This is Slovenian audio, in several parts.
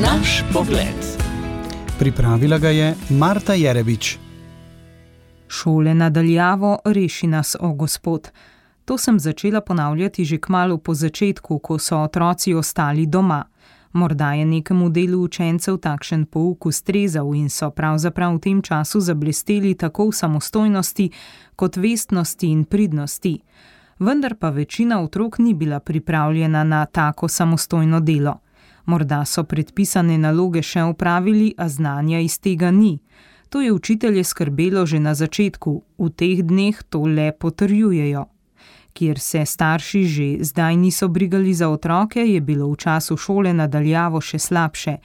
Naš pogled. Pripravila ga je Marta Jerebič. Šole na daljavo, reši nas, o Gospod. To sem začela ponavljati že kmalu po začetku, ko so otroci ostali doma. Morda je nekemu delu učencev takšen pouk ustrezal in so pravzaprav v tem času zablesteli tako v samostojnosti kot vestnosti in pridnosti. Vendar pa večina otrok ni bila pripravljena na tako samostojno delo. Morda so predpisane naloge še opravili, a znanja iz tega ni. To je učitelje skrbelo že na začetku, v teh dneh to le potrjujejo. Kjer se starši že zdaj niso brigali za otroke, je bilo v času šole na daljavo še slabše.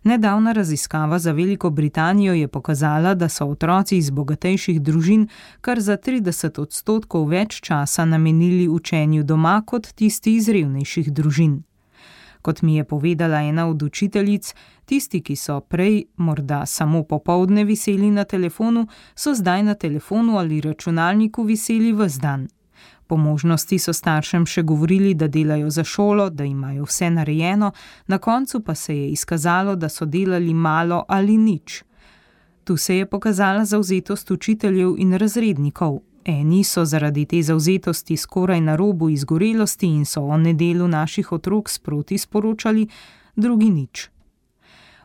Nedavna raziskava za Veliko Britanijo je pokazala, da so otroci iz bogatejših družin kar za 30% več časa namenili učenju doma kot tisti iz revnejših družin. Kot mi je povedala ena od učiteljic, tisti, ki so prej morda samo popoldne viseli na telefonu, so zdaj na telefonu ali računalniku viseli ves dan. Po možnosti so staršem še govorili, da delajo za šolo, da imajo vse narejeno, na koncu pa se je izkazalo, da so delali malo ali nič. Tu se je pokazala zavzetost učiteljev in razrednikov. Eni so zaradi te zavzetosti skoraj na robu izgorelosti in so o nedelu naših otrok sproti sporočali, drugi nič.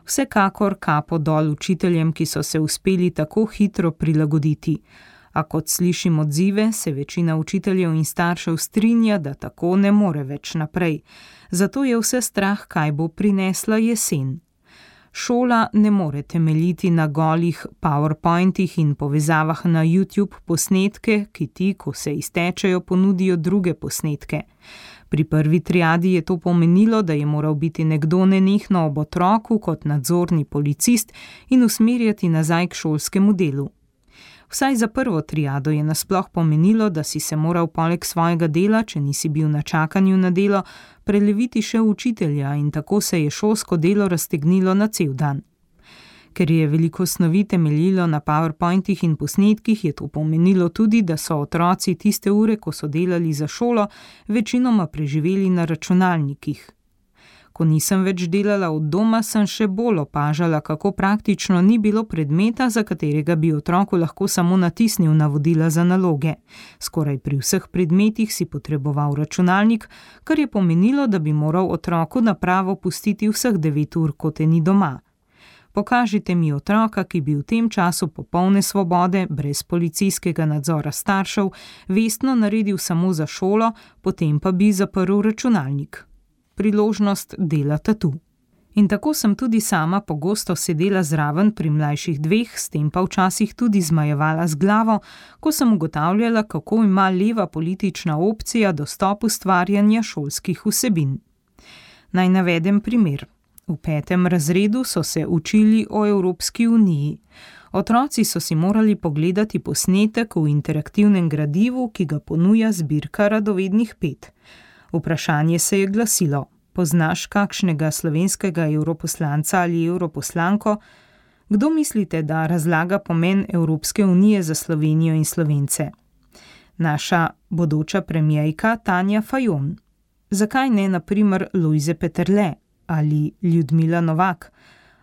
Vsekakor kapo dol učiteljem, ki so se uspeli tako hitro prilagoditi. A kot slišim odzive, se večina učiteljev in staršev strinja, da tako ne more več naprej. Zato je vse strah, kaj bo prinesla jesen. Šola ne more temeljiti na golih PowerPointih in povezavah na YouTube posnetke, ki ti, ko se iztečejo, ponudijo druge posnetke. Pri prvi triadi je to pomenilo, da je moral biti nekdo nenehno ob otroku kot nadzorni policist in usmerjati nazaj k šolskemu delu. Vsaj za prvo triado je nasploh pomenilo, da si se moral poleg svojega dela, če nisi bil na čakanju na delo, preleviti še učitelja in tako se je šolsko delo raztegnilo na cel dan. Ker je veliko snovi temeljilo na PowerPointih in posnetkih, je to pomenilo tudi, da so otroci tiste ure, ko so delali za šolo, večinoma preživeli na računalnikih. Ko nisem več delala od doma, sem še bolj opažala, kako praktično ni bilo predmeta, za katerega bi otroku lahko samo natisnil navodila za naloge. Skoraj pri vseh predmetih si potreboval računalnik, kar je pomenilo, da bi moral otroku napravo pustiti vseh 9 ur, ko te ni doma. Pokažite mi otroka, ki bi v tem času popolne svobode, brez policijskega nadzora staršev, vestno naredil samo za šolo, potem pa bi zaprl računalnik. Priložnost delata tu. In tako sem tudi sama pogosto sedela zraven pri mlajših 2, s tem pa včasih tudi zmajevala z glavo, ko sem ugotavljala, kako ima leva politična opcija dostop ustvarjanja šolskih vsebin. Naj navedem primer. V 5. razredu so se učili o Evropski uniji. Otroci so si morali pogledati posnetek v interaktivnem gradivu, ki ga ponuja zbirka radovednih 5. Vprašanje se je glasilo: poznaš kakšnega slovenskega evroposlanca ali evroposlanko? Kdo mislite, da razlaga pomen Evropske unije za Slovenijo in Slovence? Naša bodoča premierka Tanja Fajon. Zakaj ne na primer Lojze Peterle ali Ljudmila Novak?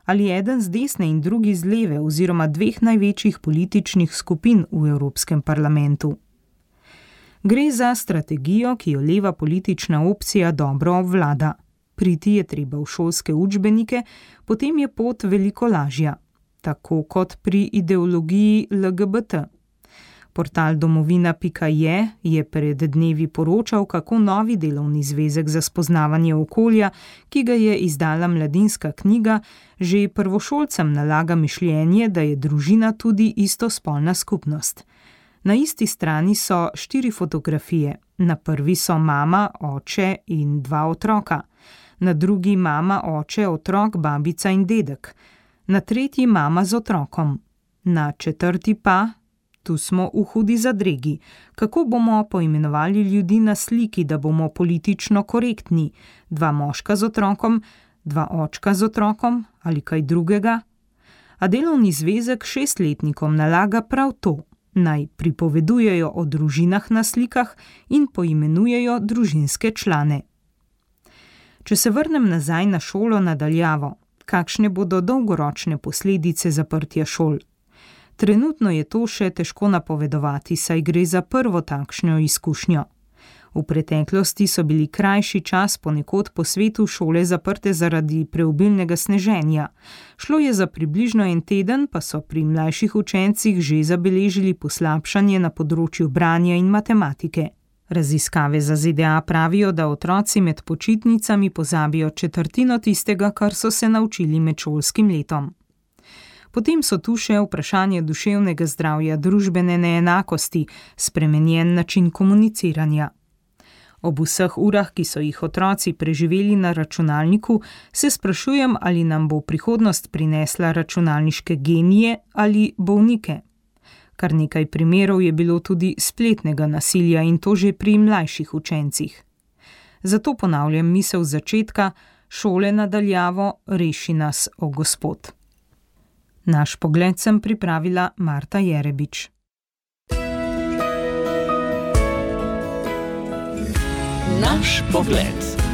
Ali eden z desne in drugi z leve oziroma 2 največjih političnih skupin v Evropskem parlamentu? Gre za strategijo, ki jo leva politična opcija dobro obvlada. Priti je treba v šolske učbenike, potem je pot veliko lažja. Tako kot pri ideologiji LGBT. Portal domovina.je je pred dnevi poročal, kako novi delovni zvezek za spoznavanje okolja, ki ga je izdala Mladinska knjiga, že prvošolcem nalaga mišljenje, da je družina tudi istospolna skupnost. Na isti strani so 4 fotografije. Na prvi so mama, oče in 2 otroka. Na drugi mama, oče, otrok, babica in dedek. Na tretji mama z otrokom. Na 4. pa, tu smo v hudi zadregi. Kako bomo poimenovali ljudi na sliki, da bomo politično korektni? 2 moška z otrokom, 2 očka z otrokom ali kaj drugega? A delovni zvezek 6-letnikom nalaga prav to. Naj pripovedujejo o družinah na slikah in poimenujejo družinske člane. Če se vrnem nazaj na šolo na daljavo, Kakšne bodo dolgoročne posledice zaprtja šol? Trenutno je to še težko napovedovati, saj gre za prvo takšno izkušnjo. V preteklosti so bili krajši čas ponekod po svetu šole zaprte zaradi preobilnega sneženja. Šlo je za približno en teden, pa so pri mlajših učencih že zabeležili poslabšanje na področju branja in matematike. Raziskave za ZDA pravijo, da otroci med počitnicami pozabijo četrtino tistega, kar so se naučili med šolskim letom. Potem so tu še vprašanje duševnega zdravja, družbene neenakosti, spremenjen način komuniciranja. Ob vseh urah, ki so jih otroci preživeli na računalniku, se sprašujem, ali nam bo prihodnost prinesla računalniške genije ali bolnike. Kar nekaj primerov je bilo tudi spletnega nasilja in to že pri mlajših učencih. Zato ponavljam misel z začetka: šole na daljavo, reši nas, o Gospod. Naš pogled sem pripravila Marta Jerebič. Naš pogled.